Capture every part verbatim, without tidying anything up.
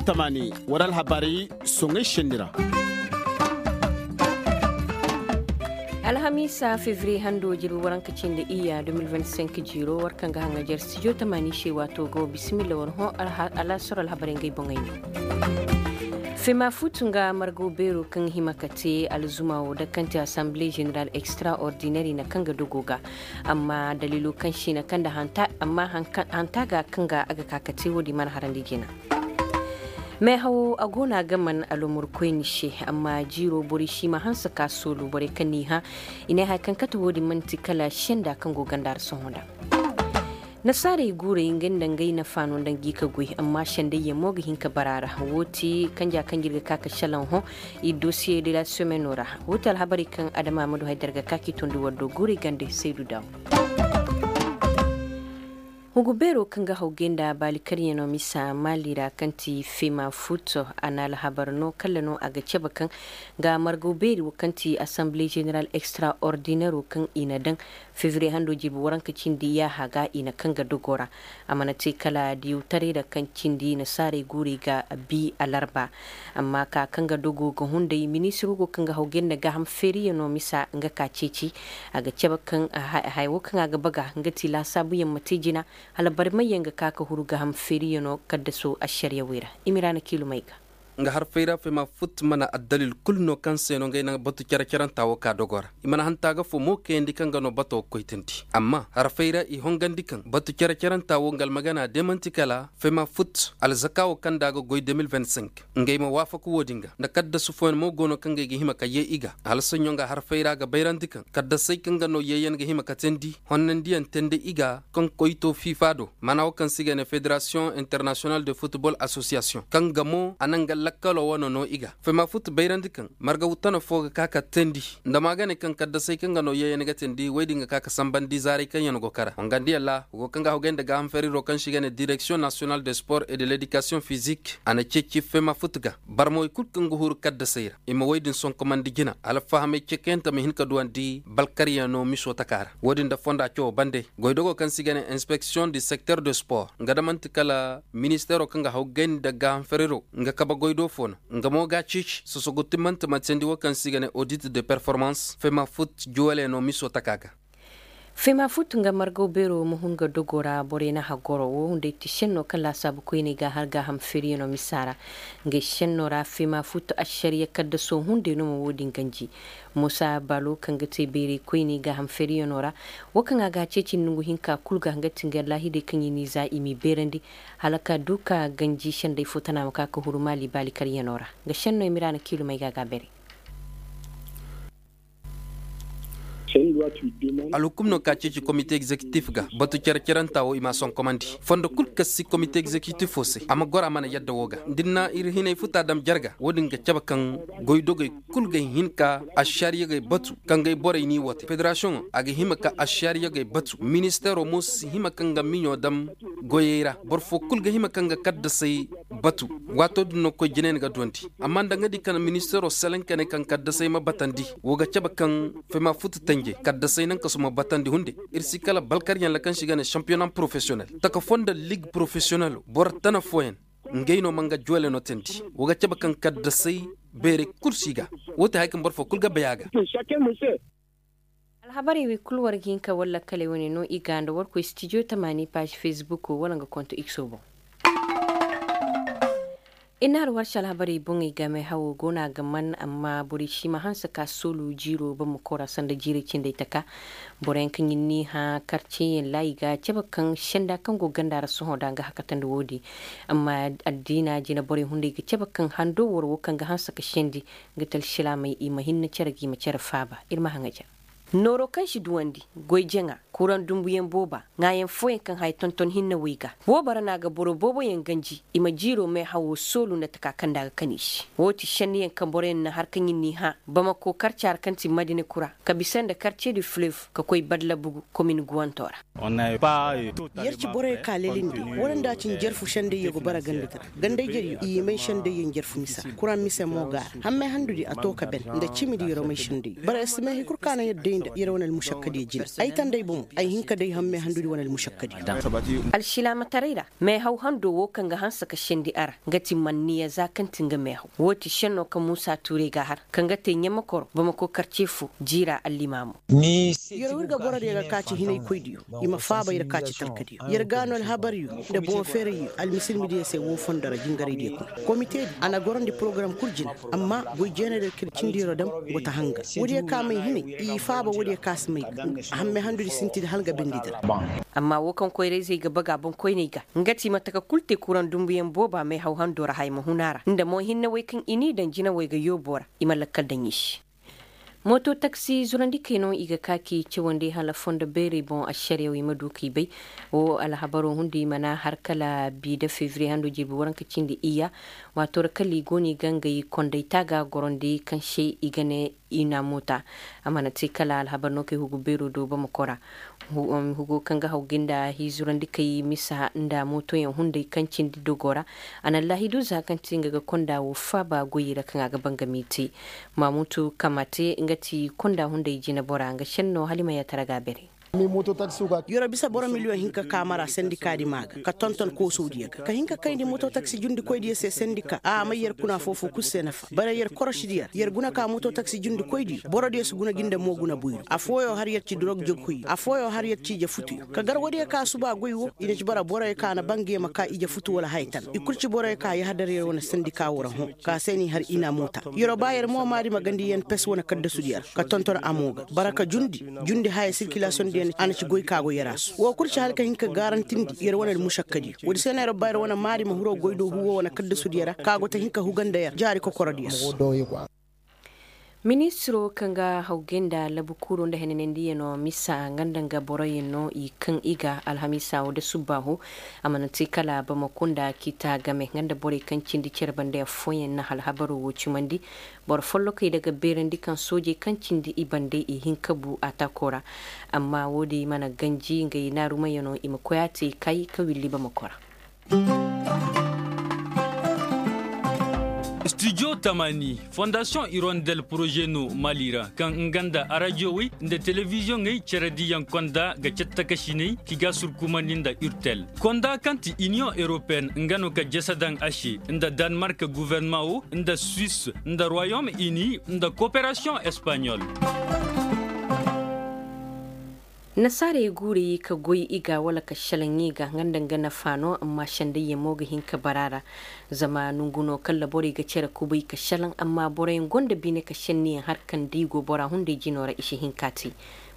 Tamaani war alhabarey soŋay senni ra. Alhamiisa fevriye hando jirbi waranka cindi iyya deux mille vingt-cinq jiiro war kaŋ ga haŋajer studio tamaani se waato go bisimilla war hõ. Alaasaro alhabarey ngey boŋey no. Fema futu nga margaw beero kaŋ hima ka te alzuma wo da kaŋ te assemblée générale extraordinaire i na kaŋ ga dogo ga. Amma daliilo kaŋ se i na kaŋ nda hanta amma hanta ga kaŋ ga a ga ka ka te wo- din mana harandi jina. Meehawo a go no a ga man alomurkoyni se. Amma jiiro borey si ma hanse ka soolu borey kaŋ n'i hã i ne haya kaŋ kate wo- din man'ti kala senda kaŋ go ganda ra sohõ nda. Nasaarey guurey ngey nda ngey nafa no nda ngi ka goy amma sendayyaŋ mo ga hin ka bara a ra. Woo ti kanja kaŋ ir ga ka ka šelaŋ hõ. Ir dosiye de la semeno ra. Woo ti alhabarey kaŋ adama ma du hay da ir ga ka k'i tondi war do guurey gande saydu daaw. Hugu beero kaŋ ga hawgay nda baalikaryaŋo misa maali ra kaŋ ti fema futo a na alhabar no kalla no a ga cabe kaŋ ga margaw beeri wo kaŋ ti assemblée générale extraordinaire wo kaŋ i na daŋ. Fevriye hando jirbi waranka cindi yaaha ga i na kaŋ ga dogo ra. A mana te kala diyawtaray ra kaŋ cindi nasaarey guurey ga bi alarba. Amma ka kaŋ ga dogo ga hunday ministir wo go kaŋ ga hawgay nda gaaham feeriyaŋo misa nga ka ceeci. A ga cabe kaŋ haya wo kaŋ a ga baga nga ti laasaabuyaŋ ma te jina. Hala barmayyaŋ ga ka ka huru gaaham feeriyaŋo kaddaso ašariyawey ra. I ma ira na kiilumey ga. Nga harfey ra fema fut mana addalil kul no kaŋ se no ngey na batu care-caranta wo ka dogo ra. I mana hanta ga fo mo kayandi kaŋ ga no bato ga koy tandi amma harfey ra i hongandi kaŋ batu care-caranta wo nga almagana de man'ti kala fema fut alzaka wo kaŋ nda a ga goy deux mille vingt-cinq. Ngey ma waafaku wo- din ga nda kaddasu fooyaŋ mo go no kaŋ ngey ga hima ka yee i ga hala soɲõ nga harfey ra ga bayrandi kaŋ kaddasey kaŋ ga no yeeyaŋ ga hima ka teendi honnandiyaŋ teendi i ga kaŋ koyto fifa do maana wo kaŋ se i ga ne fédération international de football association kaŋ ga mo a na nga lakkalo wane no i ga fema fut bayrandi kaŋ marga wutana fo ga ka ka teendi nda ma ga ne kaŋ kaddasey kaŋ ga no yeeyaŋ ga teendi wey din ga ka ka sambandi zaaray kaŋ yaŋ go kara wangandiyaŋ ra go kaŋ ga hawgay nda gaaham feriro kaŋ se i ga ne direction national de sport et de l'éducation physique a na ceeci fema fut ga barmawey kul kaŋ ga huru kaddasey ra i ma wey din sonkomandi jina alfahamey cekayaŋ ta ma hin ka duwandi balkaryaŋo miso taka ra wo- din nda fonda cawo bande goydogo kaŋ se i ga ne inspection du secteur de sport nga da man'ti kala ministeero kaŋ ga hawgay nda gaaham feriro nga kabe goydo fo no nga mo ga a ceeci sosogu timmante ma teendi wo kaŋ se i ga ne audit de performance fema fut juwaleyaŋo miso taka ga. Fema fut nga margaw beero ma hun ga dogo ra borey na hagoro wo hunday ti šenno kaŋ laasaabu koyney ga har gaaham feeriyaŋo misa ra. Ngey šenno ra fema fut ašariya kaddaso hunday no ma wo- din ganji. Musa balo kaŋ ga te bayray koyney gaaham feeriyaŋo ra wo kaŋ a ga a ceeci nongu hinka kul ga nga ti nga laahidey kaŋ i n'i za i m'i beerandi hala ka du ka ganji sendey fo tana ma ka ka huru maali baalikaryaŋo ra. Nga šenno i ma ira na kiilumey ga a ga a beeray. Alhukum no ka ceeci komite egzekitif ga batu care-caranta wo i m'a sonkomandi fondo kul kaŋ si komite egzekitifo se a ma goro a mana yadda wo ga da ir na ir hinay futa dam jarga wo- din ga cabe kaŋ goydogey kul ga hin ka ašariyagey batu kaŋ gay borey n'i woo te federasiyoŋo a ga hima ka ašariyagey batu ministeero mo si hima kaŋ ga miɲo dam goyey ra boro fo kul ga hima kaŋ ga kaddasey batu. Waato din no koy jinayaŋ ga duwandi amma nda nga di kaŋ ministeero selaŋ ka ne kaŋ kaddasey ma batandi wo ga cabe kaŋ fema futu tanje kaddasey naŋ kasu ma batandi hunde. Ir si kala balkaryaŋ ra kaŋ se i ga ne šampiyona porofesiyonel taka foo nda lig porofesiyonelo boro tana fooyaŋ ngey no ma nga juwale no teendi wo ga cabe kaŋ kaddasey beerey kul si ga wo te haya kaŋ boro fo kul ga bay a ga. Alhabarey wey kul war ga hin ka war lakkaley wane no i ga nda war koy stijo tamaani paazi fesbuk wala nga konto ikso boŋ. I na har war se alhabarey boŋey game hawo go no a ga man amma borey si ma hanse ka soolu jiiro bamako ra sanda jiirey cindey taka. Boroyaŋ kaŋ ir n'i hã karceyaŋ ra i ga a cabe kaŋ senda kaŋ go ganda ra sohõ da nga hakatandi wo- din. Amma addiina jina borey hunday ga cabe kaŋ hando waro wo kaŋ ga hanse ka sendi nga ti alsilaamey i ma hinne cere ga i ma cere faaba ir ma haŋaja. Nooro kaŋ si duwandi, goy jaŋa, kuraŋ dumbuyaŋ booba, ŋaayaŋ fooyaŋ kaŋ haya tonton hinne wo i ga. Woo bara no a ga boro booboyaŋ ganji i ma jiiro meehawo soolu nda taka kaŋ nda a ga kan i se. Woo ti senniyaŋ kaŋ boroyaŋ na har kaŋ ir n'i hã bamako karca ra kaŋ ti madina kura ka bisa nda karce du fleuve ka koy badlabugu komin guwanto ra. Yer ci borey ka lelindi wala nda a ci njarfu sendayyo ga bara ganda tara gandayjeryo i may sendayyo njarfu misa kuraŋ mise mo ga a ra hammay handudi a to ka ben nda cimidi yoromay sendayyo bara yer si may hay kul ka naŋ yer day. yer wane almušakkadiyo jina. Ay tanday bomo ay hin ka day hamme handudi wane almušakkadiyo. Alšilaamataray ra meehaw hando wo kaŋ ga hanse ka sendi a ra, nga ti manniya za kaŋ ti nga meehaw wo ti šenno kaŋ muusa tuuray ga a har kaŋ ga te ɲamakoro bamako karce fo jiira allimaamo. Yer wo ir ga borodiyo ga ka ci hinaykoydiyo, i ma faaba yer ka ci talkadiyo yer ga no alhabaryo, nda boŋ feerayyo almisilmidiyo se wo fondo ra jingaraydiyo kuna. Komitedi a na gorandi porogaram kul jina, amma goy jeenadiyo kaŋ ir cindi yer'o dam go ta hanga. Woodiyo ka may hinay i faaba woodiyo ka si may ga hamme handudi sintin hala nga bindi dira. Amma wo kaŋ koyra-izey ga baga boŋkoyney ga, nga ti mate ka kul te kuraŋ dumbuyaŋ booba meehaw hando ra haya ma hun a ra nda mo hinne wey kaŋ i n'i daŋ jinawey ga yoobo ra i ma lakkal daŋ i se. Mooto taksi zurandikey no i ga ka k'i cawandi hala fondo beerey boŋ ašariyaw i ma du k'i bay. Wo alhabaroo hundi i mana har kala bi nda febriye hando jirbi waranka cindi iyya. Waato ra kala i go no i ga ngey konday taaga gorandi kaŋ se i ga ne inamuta. A mana te kala alhabar no kay hugu beeroo do bamako ra. Hugo kaŋ ga haw ga nda hiizurandikey misa nda mootoyaŋ hunday kaŋ cindi dogoo ra. A na laahidu za kaŋ ti nga ga konda woo faaba goyey ra kaŋ a ga bangami te. Maamutu kamate nga ti konda hunday jinebora nga šenno hala i ma yaatara ga a bare. Yer'o bisa boro miliyoŋ hinka ka mara sendikaadi maa ga ka tonton koosowdiyo ga ka hin ka kayndi mototaksi jundikoydiyo se sendika a may yer kuna foofoo kul se nafa bare yer korosidiyo ra yer guna ka mototaksi jundikoydiyo borodiyo si guna ga nda mooguna boyro afooyoo har yer ci dorog jogkoyyo afooyoo har yer ci ije futuyo ka gar woodiyo ka suba goy woo i na ci bara boroyo ka na banga yer ma ka ije futu wala haya tana i kul ci boroyo ka yahadar yer wane sendika woo ra hõ. Ka se n'i har i na a moota. Yer'o ba yer mo maari ma gandi yen pes wane kaddasudiyo ra ka tonton a mo ga bara ka jundi jundi haya sirkilasiyoŋ diyo a na ci goy ka go yer a su woo kul ci hala ka hin ka gaarantindi yer wane almušakkadiyo woodi se no yer'o ba yer wane maari ma hiro goy do huwo wane kaddasudiyo ra ka go ta hin ka huga nda yer jaari kokorodiyo se. Ministiroo kaŋ ga hawgay nda labukuuroo nda henanandiyanoo misa nga nda nga boroyaŋ no i kaŋ i ga alhamiisa woo da subbaahu. A mana te kala bamako nda kiita game nga nda borey kaŋ cindi cere bande affooyaŋ na alhabaroo woo cimandi. Boro follokey daga beerandi kaŋ soojey kaŋ cindi i bande i hin ka bu atakoo ra. Amma woodi mana ganji ngey naarumayanoo i ma koy a te kay ka willi bamako ra. Studio tamani fondasiyoŋ irondel poroze no mali ra kaŋ nga nda arajowey nda telebiziyoŋey cerediyaŋ konda ga cattakasiney ki ga surkumandi nda urtel konda kaŋ ti iniyoŋ europeen nga no ka jese daŋ a se nda danmark guvernamaa wo nda suis nda royom ini nda koperasiyoŋ espanyol. Nasaarey guurey ka goy i ga wala ka šelaŋ i ga nga nda nga nafa no amma sendayyaŋ mo ga hin ka bara ra. Zama nongu no kala borey ga cere kubay ka šelaŋ amma boroyaŋ gonda bine ka šenniyaŋ har kaŋ da i go bora hunday jinoo ra i si hin k'a te.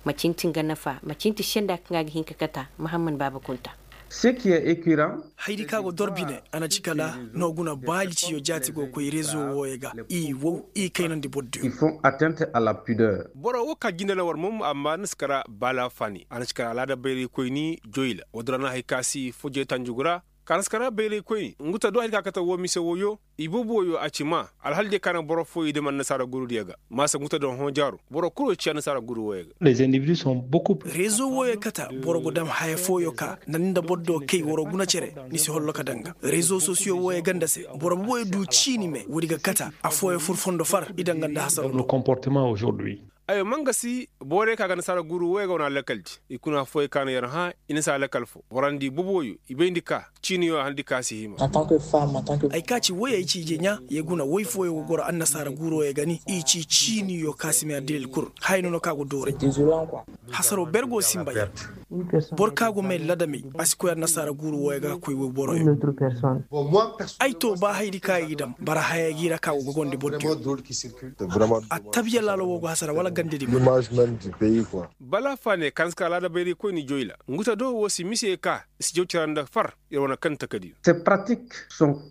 Macinti nga nafa macinti senda kaŋ a ga hin ka kata mahamman baaba kunta. Haydi kaŋ a go dor bine a na ci kala no guna baali ciyo jaati go koy rezo wooyo ga i wow i kaynandi boro diyo. Boro wo ka jinde na war mom amma ni si kara baala faani a na si kara alaada bayraykoyni joyla woodin ra no hari ka si fojey tanjugu ra. Ka na si kara bayraykoyni nguta do hari ka kate woo mise wooyo. Ibubu wooyo a ci maa alhal diyo ka na boro fooyo i dam annasaara gurudiyo ga maasa nguta do hõ jaaro boro kul wo ci annasaara guru wooyo ga. Rezo wooyo kata boro go dam haya fooyo ka nda ni nda boro do kay waroo guna cere. Ni si holloka daŋ ga rezo sosiyo wooyo ganda se boro booyo du ciini me woodi ga kata. Afooyo fur fondo far i daŋ ga nda hasaroo do. Ayo mangasi borey ka ga nasaara guru wooyo ga wane alakal di i kuna fooyo ka no yer hã i na si alakal fo boro nda i boboyo i bayndi ka ciiniyo a handi ka si hima. Ay ka ci woy ay ci ije ɲaa ye guna woy fooyo go goro annasaara guurooyo ga ni i ci ciiniyo ka si may addilil kul haya no no ka go dooray. Hasaroo ber go sinba yer boro ka go may ladamey a si koy annasaara guuru wooyo ga ka koy woy boroyo. Ay to ba haydi ka i ga dam bara haya gi ra ka go gogondi boro diyo. Attabiya laalo woo go hasara wala gandedi ma. Bala faane kaŋ si ka alaada bayraykoyni joyla nguta do woo si mise ka i si jaw cara nda far. Yer wane kaŋ takadiyo.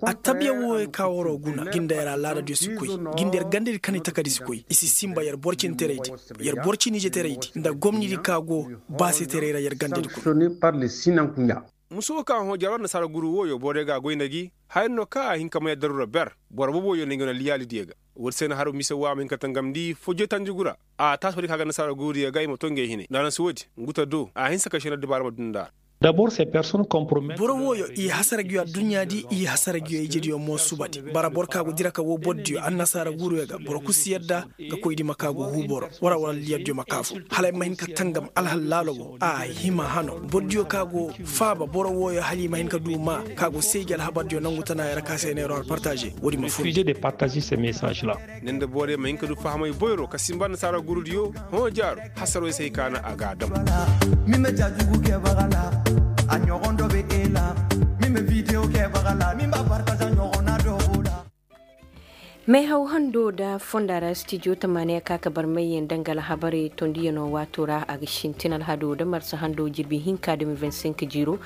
Attabiya wooyo ka waroo guna ga nda yer alaadadiyo si koy ga nda yer gandedi kaŋ i takadi si koy i si sinba yer boro cindi teraydi yer boro cindi ije teraydi nda gomnidi ka go baasetaray ra yer gandedi kuna. Musu woo ka hõ jaro annasaara guru wooyo borey ga a goy nda gi haya no ka a hin ka may addaru ra ber. Boro boboyo nda ngey wane liyaalidiyo ga. Woodi se no haro mise woo a ma hin ka tangamndi fojey tanjugu ra a taasi woodi ka ga annasaara gurudiyo ga i ma to ngey hinay nda a na si woodi nguta do a hinsa ka šenna dibaara ma duu nda a ra. Dabor se personne kompromet. Boro wooyo i hasara ngi yo adduɲɲa di, i hasara ngi yo ijediyo mo suba di. Bara boro ka go dira ka woo bordiyo annasaara guuruyo ga boro kul si yadda ga koy di ma ka go huu boro wara wala liyaddiyo ma ka fu hala ay ma hin ka tangam alhal laalo wo a hima hano. Bordiyo ka go faaba boro wooyo hala i ma hin ka du maa ka go seeji alhabardiyo nangu tana yara ka se neero har partaze woodi ma fur. Ni nda borey ma hin ka du fahamay boyro ka simba annasaara guurudiyo. Hõ jaaro hasarwey se hay ka na a ga a dam. Min ma jaajugu kee baga la a ɲogon do be e la. Min ma bidiyo kee baga la min ba partaza ɲogon na do go la. Meehaw hando nda fonda ra stijo tamaaniya ka ka barmayyaŋ danga alhabarey tondiyaŋo waato ra a ga sintin alhado nda marsa hando jirbi hinka de mil vingt cinq jiiro.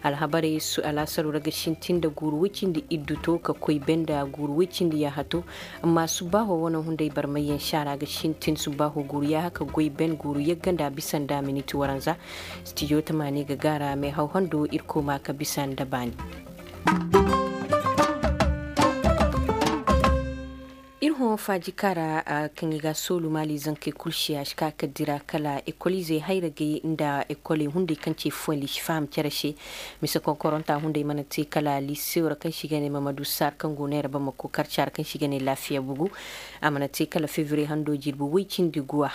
Alhabarey su alaasaro ra ga sintin nda guuru woy cindi iddu to ka koy benda guuru woy cindi yaaha to. Amma subbaaho wane hunday barmayyaŋ saara ga sintin subbaaho guuru yaaha ka goy ben guuru yagga nda bisa nda miniti waranza. Stijo tamaani ga gaara meehaw hando ir kooma ka bisa nda baani. Ir hõ faaji kaara kaŋ i ga a soolu maali zankey kul se a si ka ka dira kala ekoliizey hayragey nda ekoley hunday kaŋ ci fuwandi si faham cere se. Mise konkoronta hunday mana te kala lisewo ra kaŋ se i ga ne mamadu sar kaŋ go neera bamako karca ra kaŋ se i ga ne laafiya bugu. A mana te kala febriye hando jirbi woy cindi guwa.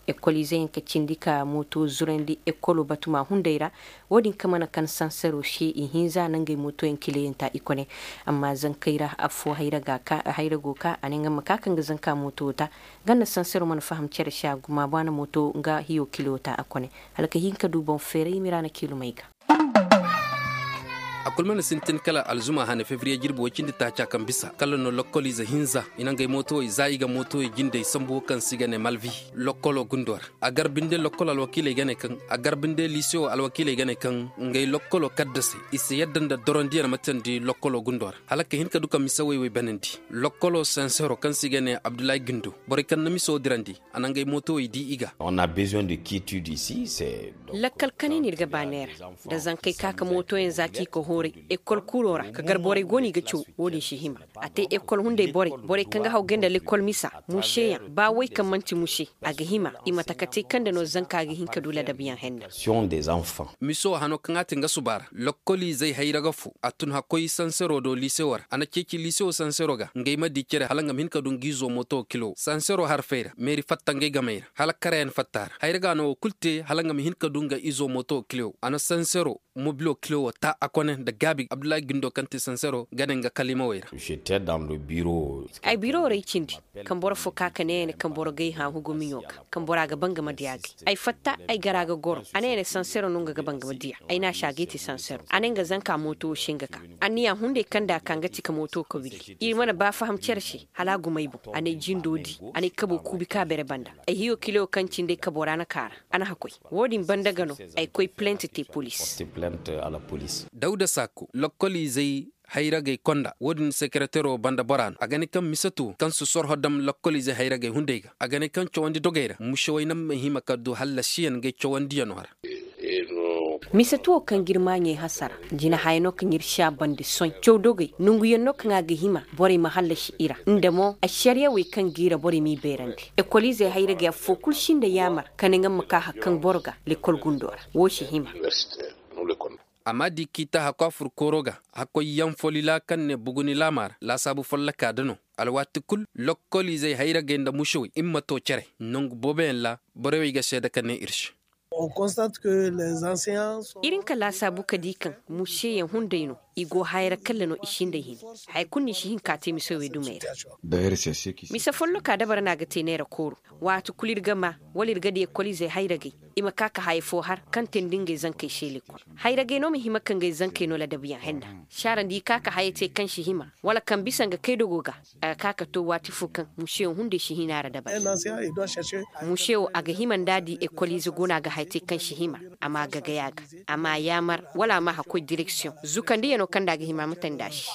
Ekoliizey yaŋ ka cindi ka mooto zurandi ekolo batuma hunday ra. Wo-din ka mana kan sansero se i hinza na ngey mootoyaŋ kileyaŋ ta i kone. Amma zankey ra affo hayra go ka a ne nga ma ka kaŋ ga zanka mooto ta. Ganda sansero mana faham cere se a guma ba na mooto nga hiyo kilo ta a kone. Hala ka hin ka du boŋ feeray mira na kiilumey ga. A kul mana sintin kala alzuma hane febriye jirbi woy cindi taaca kaŋ bisa kala no lokkoliize hinza i na ngey mootowey za i ga mootowey jindey sambu wo kaŋ se i ga ne malvi lokkolo gundo ra. A gar binde lokkol alwakiiley ga ne kaŋ a gar binde lisewo alwakiiley ga ne kaŋ ngey lokkolo kaddasey i si yadda nda dorondiyaŋ matandi lokkolo gundo ra hala ka hin ka du ka mise wey wey banandi. Lokkolo sansero kaŋ se i ga ne abdullahi gindo borey kaŋ na miso dirandi a na ngey mootowey di i ga. Lakkal kani no ir ga ba neera da zankey ka ka mootoyaŋ za k'i ka hooray ekol kuro ra ka gar borey go no i ga caw. Wo-din si hima a te ekol hunday borey borey kaŋ ga hawgay nda lekol misa museyaŋ ba way kaŋ man'ti muse a ga hima i ma taka te kaŋ nda no zanka ga hin ka du ladabiyaŋ henna. Miso hano kaŋ a te nga suba ra lokkoliizey hayra ga fo a tun hakkoy sansero do lisewo ra a na ceeci lisewo sansero ga ngey ma di cere hala nga ma hin ka du nga izo mooto kilo sansero harfey ra meeri fatta ngey gamey ra hala karayaŋ fatta ra hayra ga no wo kul te hala nga ma hin ka du nga izo mooto kilo a na sansero mobilo kilo wo ta a kone nda gaabi abdullahi gindo kaŋ te sansero ga ne nga kalimawey ra. Ay biro ra ay cindi kaŋ boro fo ka ka ne ya ne kaŋ boro gay haahu gumiɲo ga kaŋ bora ga bangama diya gay ay fatta ay gara ga goro a ne ya ne sansero no nga ga bangama diya ay na si a gay te sansero a ne nga zanka mooto wo se nga ka anniya hunday kaŋ da a ka nga ti ka mooto ka willi ir mana ba faham cere se hala a gumay boŋ a ne jindo di a ne kabo kuubi ka bere banda ay hiyo kilo kaŋ cindi ay kabo ra na kaara a na hakoy wo-din banda ga no ay koy plent te polis. Dawda sako lokkoliizey hayragey konda wo-din sekeretero banda bora no a ga ne kaŋ miseto kaŋ si sorho dam lokkoliizey hayragey hunday ga a ga ne kaŋ cawandi dogey ra musewey naŋ ma hima ka du hallasiyaŋ ngey cawandiyano ra. Misetuwo kaŋ ga ir maaɲey hasara jina haya no kaŋ ir si a bande soy caw dogey nonguyaŋ no kaŋ a ga hima borey ma hallasi i ra nda mo ašariyawey kaŋ ga i ra borey m'i beerandi ekoliizey hayragey affo kul si nda yaamar ka ne nga ma ka har kaŋ boro ga lekol gundo ra wo si hima. Amma di kiita hakko a fur kooro ga hakkoy yaŋ folila kaŋ ne buguni laama ra laasaabu folloka da no. Alwaati kul lokkoliizey hayragey nda musewey i ma to cere nongu booboyaŋ ra borey wey ga seeda ka ne ir se. Ir hin ka laasaabu ka di kaŋ museyaŋ hunday no i go hayra kalle no i si nda i hini. Haya kulu no i si hin ka te mise wey dumey ra. Mise folloka dabara no a ga te neera kooro. Waati kulu ir ga maa wala ir ga di ekoliizey hayragey i ma ka ka haya fo har kaŋ te nda ngey zankey se lekol. Hayragey no ma hima ka ngey zankey no ladabiyaŋ henna. Saara nda i ka ka haya te kaŋ si hima wala kaŋ bisa nga kaydogo ga. A ga ka ka to waati fo kaŋ musewo hunday si hina ra dabari. Musewo a ga hima nda a di ekoliize go no a ga haya te kaŋ si hima. A ma gagay a ga a ma yaamar wala a ma hakkoy direksiyoŋ zukandiyano kaŋ nda a ga hima a ma tandi a se.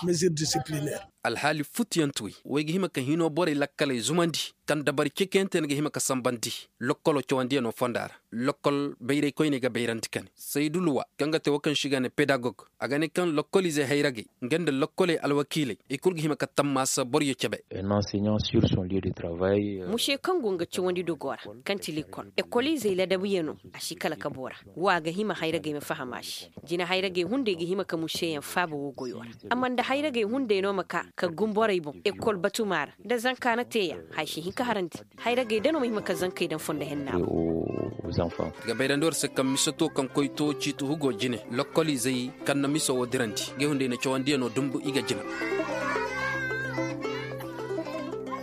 Alhaali futuyantuwey wey ga hima ka hinoo borey lakkaley zumandi, kaŋ dabari cekeyante ni ga hima ka sanbandi lokkoloo cawandiyanoo fonda ra. Lokkol bayraykoyney ga bayrandi ka ne saydu luwa kaŋ ga te woo kaŋ se i ga ne pedagog, a ga ne kaŋ lokkoliizey hayragey nga nda lokkoley alwakiiley i kul ga hima ka tammaasa boryo cebe. Musey kaŋ go nga cawandi dogoo ra, kaŋ ti likol ekoliizey ladabuyanoo, a si kala ka boora. Woo a ga hima hayragey ma faham a se. Jina hayragey hunday ga hima ka museyaŋ faaba woo goyoo ra. Amma nda hayragey hunday no ma kaa ka gum borey boŋ ekol batumaa ra, nda zanka na teeya, haya si hin ka harandi. Hayragey da no ma hima ka zankey daŋ fondo henna. Ga bayrandi war se kaŋ mise to kaŋ koy to ciiti hugo jine lokkoliizey kaŋ na mise woo dirandi, ngey hunday na cawandiyanoo dumbu i ga jina.